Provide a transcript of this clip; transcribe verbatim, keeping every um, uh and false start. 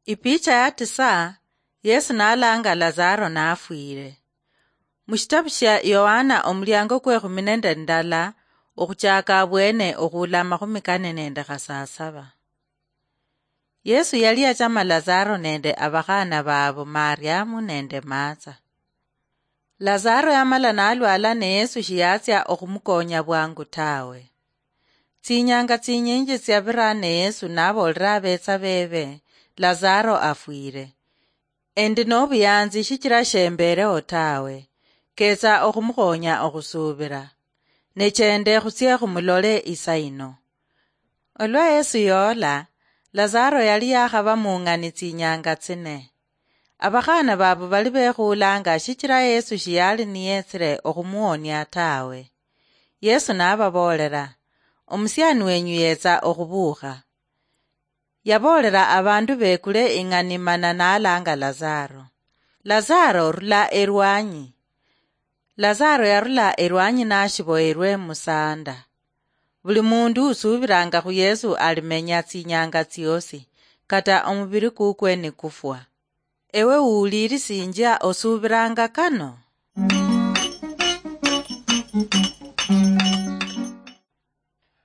Ipicha ya tisa. Yesu nalanga Lazaro nafwire. Mushitabu shia Yohana omuliango kwe khumi nende ndala, okhuchaka abwene okhula amakhumi kane nende khasasaba. Yesu yali yachama Lazaro nende abakhana babo Mariamu nende Martha. Lazaro yamala nalwala ne Yesu shiyatsia okhumukonya bwangu tawe. Tsinyanga tsinyinji tsiabira ne Yesu nabolera abetsa bebe, Lazaro afwire. Endi nobuyanzi shichira shembereho tawe. Ketsa okhumukhonya okhusubira. Nechende khutsie khumulole isa ino. Olwa Yesu yoola, Lazaro yali yakhaba mung'ani tsinyanga tsine. Abakhana babo bali bekhuulanga shichira Yesu shiyali niyetsire okhumuhonia tawe. Yesu nababoolera, "Omusiani wenyu yetsa okhubuukha." Yaboolera abandu bekule ing'ani mana nalanga Lazaro, "Lazaro, rula erwanyi." Lazaro yarula erwanyi nashiboyerwe musanda. Buli mundu usubiranga khu Yesu alimenya tsinyanga tsiosi, kata omubiri kukwe nikufwa. Ewe uwulirisinjia, osubiranga kano?